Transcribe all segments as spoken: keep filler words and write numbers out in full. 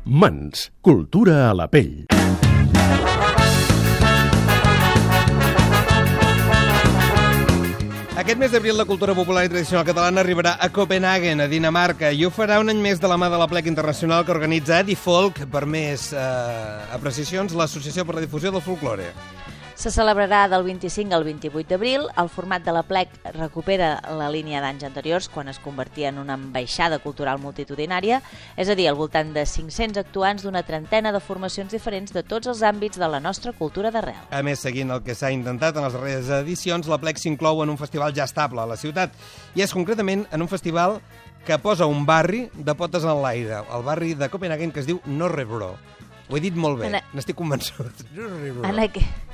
Mans, cultura a la pell. Aquest mes d'abril la cultura popular i tradicional catalana arribarà a Copenhagen, a Dinamarca, i ho farà un any més de la mà de l'Aplec Internacional que organitza Edifolk, per més eh, apreciacions, l'Associació per la Difusió del Folklore. Se celebrarà del vint-i-cinc al vint-i-vuit d'abril. El format de l'Aplec recupera la línia d'anys anteriors, quan es convertia en una ambaixada cultural multitudinària, és a dir, al voltant de cinc-cents actuants d'una trentena de formacions diferents de tots els àmbits de la nostra cultura d'arrel. A més, seguint el que s'ha intentat en les darreres edicions, l'Aplec s'inclou en un festival ja estable a la ciutat, i és concretament en un festival que posa un barri de potes en l'aire, el barri de Copenhagen, que es diu Norrebro. Ho he dit molt bé, a... n'estic convençut. En aquest...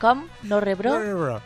Com? Norrebro? Norrebro.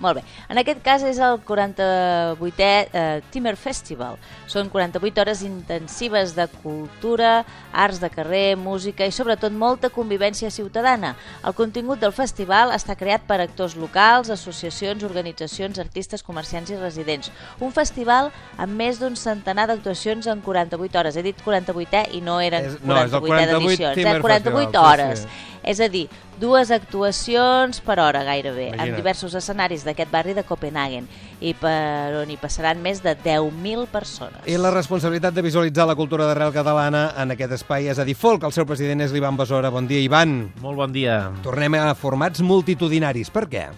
Molt bé. En aquest cas és el quaranta-vuitè eh, Timmer Festival. Són quaranta-vuit hores intensives de cultura, arts de carrer, música i sobretot molta convivència ciutadana. El contingut del festival està creat per actors locals, associacions, organitzacions, artistes, comerciants i residents. Un festival amb més d'un centenar d'actuacions en quaranta-vuit hores. He dit quaranta-vuitè i no eren és, no, quaranta-vuit edicions, eh? quaranta-vuit hores. Sí, sí. És a dir, dues actuacions per hora gairebé, Imagina. en diversos escenaris d'aquest barri de Copenhagen, i per on hi passaran més de deu mil persones. I la responsabilitat de visualitzar la cultura d'arrel catalana en aquest espai és Edifolk. El seu president és l'Ivan Besora. Bon dia, Ivan. Molt bon dia. Tornem a formats multitudinaris. Per què?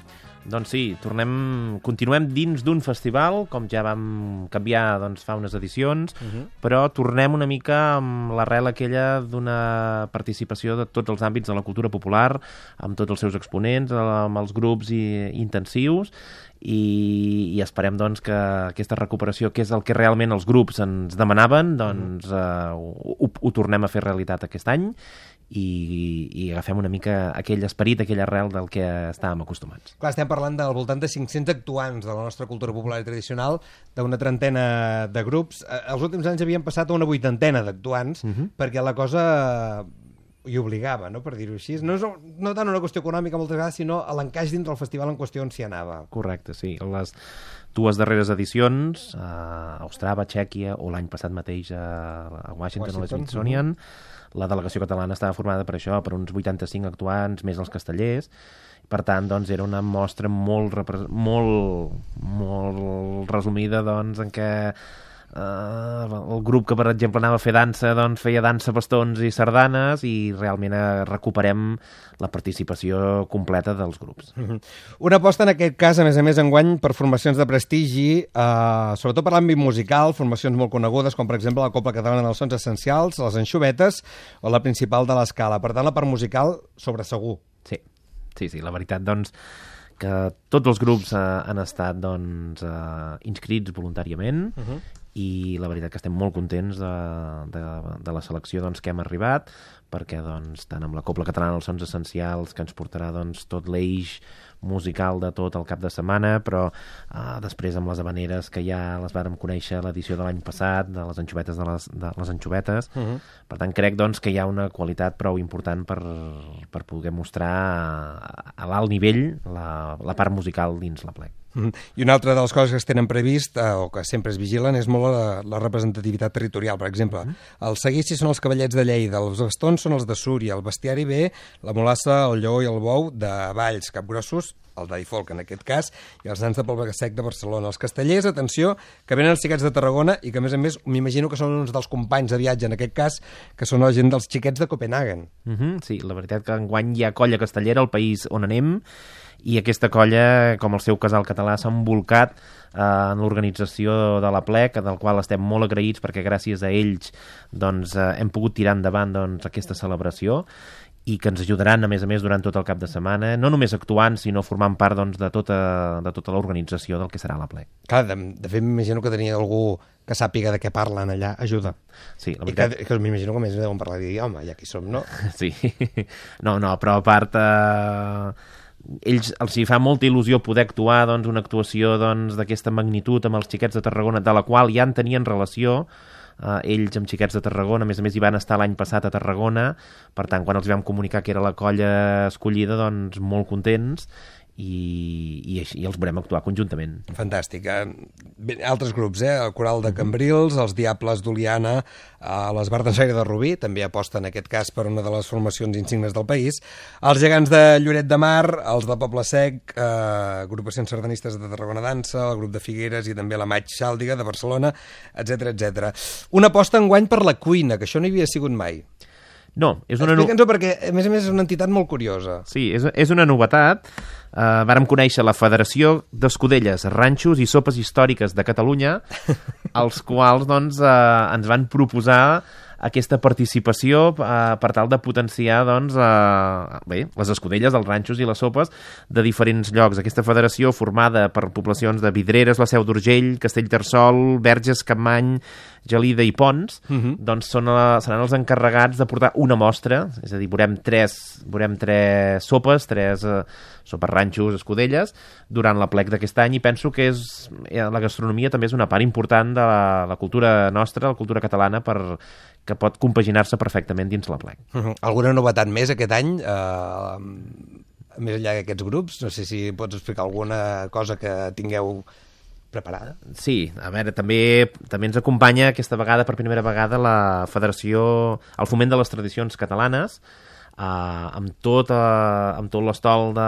Doncs sí, tornem, continuem dins d'un festival, com ja vam canviar doncs, fa unes edicions, uh -huh. però tornem una mica amb l'arrel aquella d'una participació de tots els àmbits de la cultura popular, amb tots els seus exponents, amb els grups i, intensius, i, i esperem doncs, que aquesta recuperació, que és el que realment els grups ens demanaven, doncs eh, ho, ho tornem a fer realitat aquest any, i, i agafem una mica aquell esperit, aquell arrel del que estàvem acostumats. Clar, estem parlant del voltant de cinc-cents actuants de la nostra cultura popular i tradicional, d'una trentena de grups. Els últims anys havien passat a una vuitantena d'actuants, uh-huh. perquè la cosa hi obligava, no?, per dir-ho així. No és no tant una qüestió econòmica moltes vegades, sinó a l'encaix dins del festival en qüestió on s'hi anava. Correcte, sí. Les dues darreres edicions, a Ostrava, Txèquia, o l'any passat mateix a, a Washington, Washington, a l'Smithsonian, uh-huh. la delegació catalana estava formada per això, per uns vuitanta-cinc actuants, més els castellers. Per tant, doncs, era una mostra molt, molt, molt resumida, doncs, en què Uh, el grup que, per exemple, anava a fer dansa, doncs feia dansa, bastons i sardanes, i realment recuperem la participació completa dels grups. Una aposta, en aquest cas, a més a més, enguany, per formacions de prestigi, uh, sobretot per l'àmbit musical, formacions molt conegudes, com per exemple la Cobla Catalana dels Sons Essencials, les Anxovetes o la Principal de l'Escala. Per tant, la part musical, sobre segur. Sí, sí, sí. La veritat, doncs, que tots els grups uh, han estat doncs, uh, inscrits voluntàriament, uh-huh. i la veritat que estem molt contents de, de, de la selecció doncs, que hem arribat, perquè doncs, tant amb la Cobla Catalana dels Sons Essencials, que ens portarà doncs, tot l'eix musical de tot el cap de setmana, però uh, després amb les habaneres, que ja les vàrem conèixer a l'edició de l'any passat, de les anxovetes de les, de les anxovetes. Uh-huh. Per tant, crec doncs, que hi ha una qualitat prou important per, per poder mostrar a, a l'alt nivell la, la part musical dins l'Aplec. I una altra de les coses que es tenen previst, eh, o que sempre es vigilen, és molt la, la representativitat territorial. Per exemple, mm. els seguicis són els cavallets de Lleida, els bastons són els de Súria, el bestiari ve la mulassa, el lleó i el bou de Valls, capgrossos, el d'Edifolk en aquest cas, i els nans de Poble Sec de Barcelona. Els castellers, atenció, que venen els xiquets de Tarragona i que, a més a més, m'imagino que són uns dels companys de viatge, en aquest cas, que són la gent dels xiquets de Copenhagen. Mm-hmm, sí, la veritat que enguany hi ha colla castellera al país on anem, i aquesta colla, com el seu casal català, s'ha embolcat eh, en l'organització de l'Aplec, del qual estem molt agraïts, perquè gràcies a ells doncs, eh, hem pogut tirar endavant doncs, aquesta celebració, i que ens ajudaran, a més a més, durant tot el cap de setmana, no només actuant, sinó formant part doncs, de tota, de tota l'organització del que serà l'Aplec. Clar, de, de fet, m'imagino que tenia algú que sàpiga de què parlen allà, ajuda. Sí, la veritat... I que, que m'imagino que més deuen parlar i dir, home, ja aquí som, no? Sí, no, no, però a part... Eh... ells els hi fa molta il·lusió poder actuar doncs, una actuació doncs, d'aquesta magnitud amb els xiquets de Tarragona, de la qual ja en tenien relació, eh, ells amb xiquets de Tarragona, a més a més hi van estar l'any passat a Tarragona, per tant quan els vam comunicar que era la colla escollida, doncs molt contents, i, i, així, i els veurem actuar conjuntament. Fantàstic. Bé, altres grups, eh? El Coral de Cambrils, els Diables d'Oliana, eh, les Bardensaire de Rubí, també aposta en aquest cas per una de les formacions insignes del país, els Gegants de Lloret de Mar, els de Poble Sec, eh, agrupacions sardanistes de Tarragona Dansa, el grup de Figueres i també la Maig Xàldiga de Barcelona, etcètera, etcètera. Una aposta enguany per la cuina, que això no hi havia sigut mai. No, és una... Explica'ns-ho perquè, a més a més, és una entitat molt curiosa. Sí, és, és una novetat. Uh, vàrem conèixer la Federació d'Escudelles, Ranxos i Sopes Històriques de Catalunya, els quals doncs, uh, ens van proposar aquesta participació uh, per tal de potenciar doncs, uh, bé, les escudelles, els ranxos i les sopes de diferents llocs. Aquesta federació, formada per poblacions de Vidreres, la Seu d'Urgell, Castellterçol, Verges, Capmany, Gelida i Pons, uh-huh. doncs són, uh, seran els encarregats de portar una mostra, és a dir, veurem tres, veurem tres sopes, tres uh, sopes, ranxos, escudelles, durant l'aplec d'aquest any, i penso que és, la gastronomia també és una part important de la, la cultura nostra, la cultura catalana, per, que pot compaginar-se perfectament dins l'aplec. Uh-huh. Alguna novetat més aquest any? Uh, més enllà d'aquests grups? No sé si pots explicar alguna cosa que tingueu preparada. Sí, a veure, també també ens acompanya aquesta vegada, per primera vegada, la Federació, el Foment de les Tradicions Catalanes, Uh, amb tot, uh, amb tot l'estol de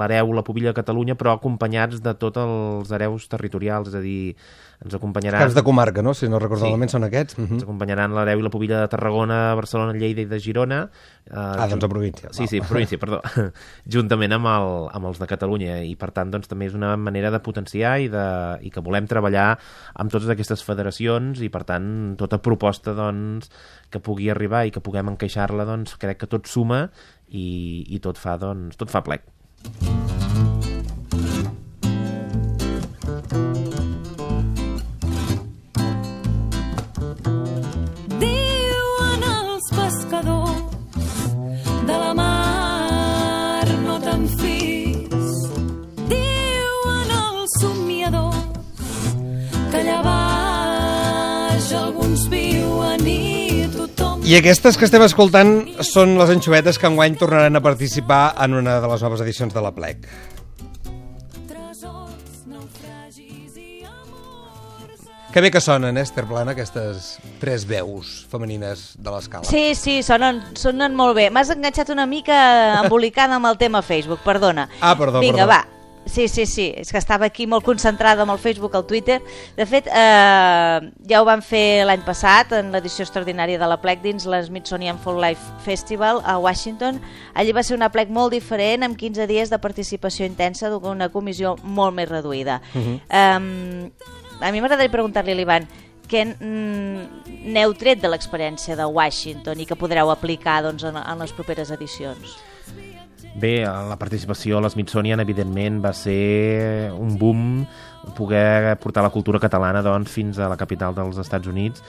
l'hereu, la pubilla de Catalunya, però acompanyats de tots els hereus territorials, és a dir, ens acompanyaran... Caps de comarca, no? Si no recordo malament, sí. Són aquests. Uh-huh. Ens acompanyaran l'hereu i la pubilla de Tarragona, Barcelona, Lleida i de Girona. Uh, ah, doncs a província. Sí, sí, província, perdó. Juntament amb, el, amb els de Catalunya, i per tant doncs, també és una manera de potenciar i, de, i que volem treballar amb totes aquestes federacions, i per tant tota proposta doncs, que pugui arribar i que puguem encaixar-la, doncs crec que tot suma i, i tot fa, doncs, tot fa plec. Diuen els pescadors de la mar no te'n fis, diuen els somiadors que allà baix alguns viuen i I aquestes que estem escoltant són les anxovetes que enguany tornaran a participar en una de les noves edicions de l'Aplec. Que bé que sonen, eh, Esther Plana, aquestes tres veus femenines de l'escala. Sí, sí, sonen, sonen molt bé. M'has enganxat una mica embolicada amb el tema Facebook, perdona. Ah, perdó, Vinga, perdó. va. Sí, sí, sí, és que estava aquí molt concentrada amb el Facebook, el Twitter. De fet, eh, ja ho vam fer l'any passat, en l'edició extraordinària de l'Aplec, dins l'Smithsonian Folk Life Festival a Washington. Allí va ser un aplec molt diferent, amb quinze dies de participació intensa d'una comissió molt més reduïda. Uh-huh. eh, a mi m'agradaria preguntar-li a l'Ivan què n'heu tret de l'experiència de Washington i que podreu aplicar doncs, en, en les properes edicions. Bé, la participació a l'Smithsonian, evidentment, va ser un boom poder portar la cultura catalana doncs, fins a la capital dels Estats Units,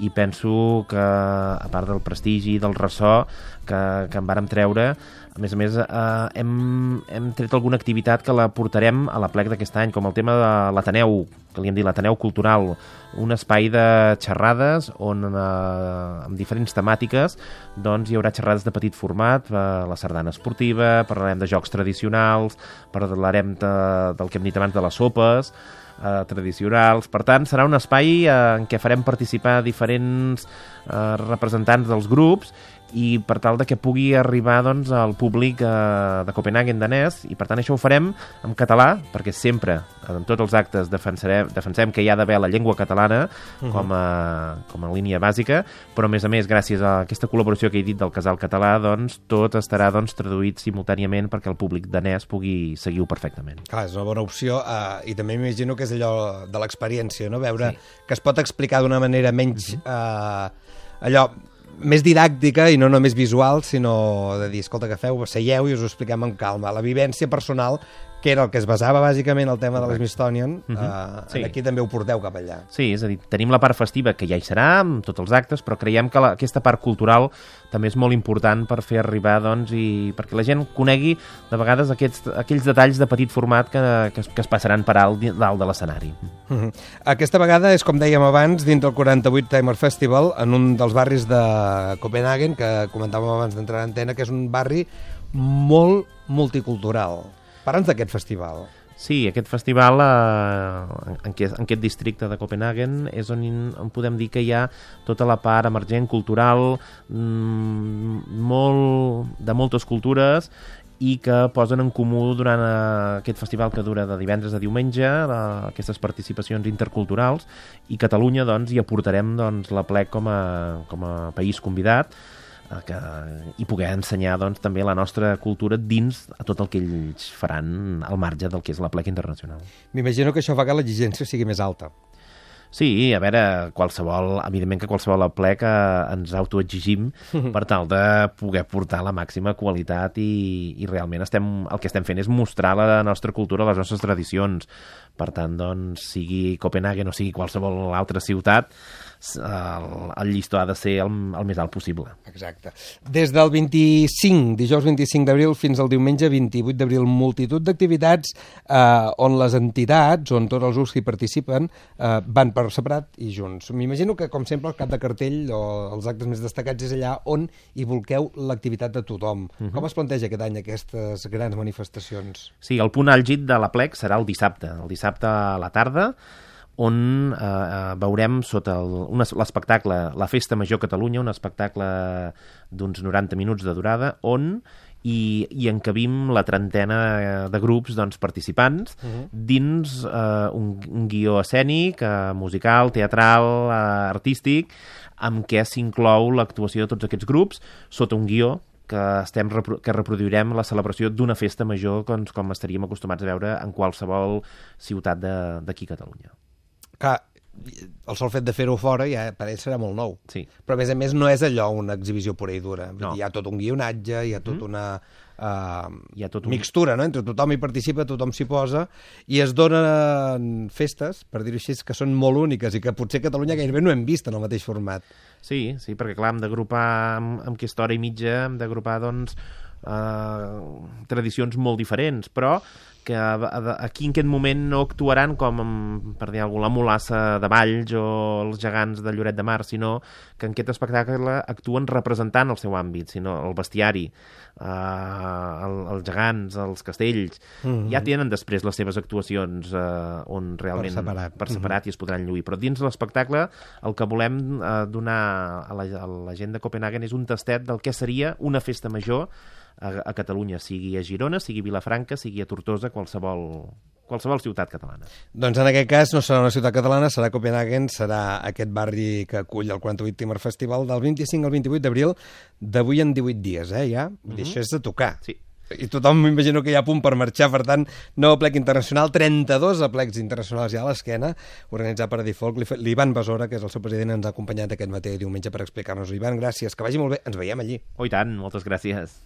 i penso que, a part del prestigi i del ressò que, que en vàrem treure, a més a més, eh, hem, hem tret alguna activitat que la portarem a l'Aplec d'aquest any, com el tema de l'Ateneu, que li hem dit l'Ateneu Cultural, un espai de xerrades on, eh, amb diferents temàtiques, doncs hi haurà xerrades de petit format, eh, la sardana esportiva, parlarem de jocs tradicionals, parlarem de, del que hem dit abans de les sopes, eh, tradicionals. Per tant, serà un espai eh, en què farem participar diferents eh, representants dels grups, i per tal de que pugui arribar doncs, al públic eh, de Copenhagen danès, i per tant això ho farem en català, perquè sempre en tots els actes defensarem, defensem que hi ha d'haver la llengua catalana uh-huh. com, a, com a línia bàsica, però a més a més gràcies a aquesta col·laboració que he dit del Casal Català, doncs tot estarà doncs, traduït simultàniament perquè el públic danès pugui seguir-ho perfectament. Clar, és una bona opció, eh, i també m'imagino que és allò de l'experiència, no? Veure sí. que es pot explicar d'una manera menys uh-huh. eh, allò més didàctica i no només visual, sinó de dir, escolta, que feu, seieu i us ho expliquem amb calma. La vivència personal, que era el que es basava bàsicament el tema de l'Smithsonian, uh-huh. eh, sí. aquí també ho porteu cap allà. Sí, és a dir, tenim la part festiva, que ja hi serà, amb tots els actes, però creiem que la, aquesta part cultural també és molt important per fer arribar, doncs, i perquè la gent conegui, de vegades, aquests, aquells detalls de petit format que, que, es, que es passaran per alt dalt de l'escenari. Uh-huh. Aquesta vegada és, com dèiem abans, dins del quaranta-vuit Timer Festival, en un dels barris de Copenhagen, que comentàvem abans d'entrar a antena, que és un barri molt multicultural. Parla'ns d'aquest festival. Sí, aquest festival eh, en, aquest, en aquest districte de Copenhagen és on, on podem dir que hi ha tota la part emergent, cultural, mmm, molt, de moltes cultures, i que posen en comú durant eh, aquest festival que dura de divendres a diumenge, eh, aquestes participacions interculturals, i Catalunya doncs, hi aportarem doncs, la Plec com a, com a país convidat, que, i poder ensenyar doncs, també la nostra cultura dins a tot el que ells faran al marge del que és la Plec Internacional. M'imagino que això fa que l'exigència sigui més alta. Sí, a veure, qualsevol, evidentment que qualsevol plec eh, ens autoexigim per tal de poder portar la màxima qualitat i, i realment estem, el que estem fent és mostrar la nostra cultura, les nostres tradicions. Per tant, doncs, sigui Copenhagen o sigui qualsevol altra ciutat, el, el llistó ha de ser el, el més alt possible. Exacte. Des del vint-i-cinc, dijous vint-i-cinc d'abril, fins al diumenge vint-i-vuit d'abril, multitud d'activitats eh, on les entitats, on tots els grups que hi participen, eh, van per separat i junts. M'imagino que, com sempre, el cap de cartell o els actes més destacats és allà on hi volqueu l'activitat de tothom. Uh-huh. Com es planteja aquest any aquestes grans manifestacions? Sí, el punt àlgid de la Plec serà el dissabte. El dissabte a la tarda, on eh, veurem sota l'espectacle La Festa Major Catalunya, un espectacle d'uns noranta minuts de durada, on i, i encabim la trentena de grups doncs, participants uh-huh. dins eh, un, un guió escènic, eh, musical, teatral, eh, artístic, amb què s'inclou l'actuació de tots aquests grups sota un guió que, estem, que reproduirem la celebració d'una festa major com, com estaríem acostumats a veure en qualsevol ciutat d'aquí a Catalunya. Clar, el sol fet de fer-ho fora ja per ell serà molt nou. Sí. Però a més a més no és allò una exhibició pura i dura. No. Hi ha tot un guionatge, hi ha tot mm. una uh, hi ha tot un... mixtura, no? Entre tothom hi participa, tothom s'hi posa, i es donen festes, per dir-ho així, que són molt úniques i que potser a Catalunya gairebé no hem vist en el mateix format. Sí, sí, perquè clar, hem d'agrupar amb, amb aquesta hora i mitja, hem d'agrupar doncs eh, tradicions molt diferents, però que aquí en aquest moment no actuaran com, per dir alguna cosa, la Mulassa de Valls o els gegants de Lloret de Mar, sinó que en aquest espectacle actuen representant el seu àmbit, sinó el bestiari, eh, el, els gegants, els castells, mm-hmm. ja tenen després les seves actuacions eh, on realment per separat, per separat mm-hmm. i es podran lluir. Però dins l'espectacle el que volem eh, donar a la, a la gent de Copenhagen és un tastet del que seria una festa major a, a Catalunya, sigui a Girona, sigui a Vilafranca, sigui a Tortosa, qualsevol, qualsevol ciutat catalana. Doncs en aquest cas no serà una ciutat catalana, serà Copenhagen, serà aquest barri que acull el quaranta-vuit Timor Festival del vint-i-cinc al vint-i-vuit d'abril, d'avui en divuit dies, eh, ja? Mm-hmm. Això és de tocar. Sí. I tothom m'imagino que hi ha punt per marxar, per tant, nou plec internacional, trenta-dos aplecs internacionals ja a l'esquena, organitzat per Adifolk. L'Ivan Besora, que és el seu president, ens ha acompanyat aquest matí diumenge per explicar-nos-ho. Ivan, gràcies, que vagi molt bé, ens veiem allí. Oh, i tant, moltes gràcies.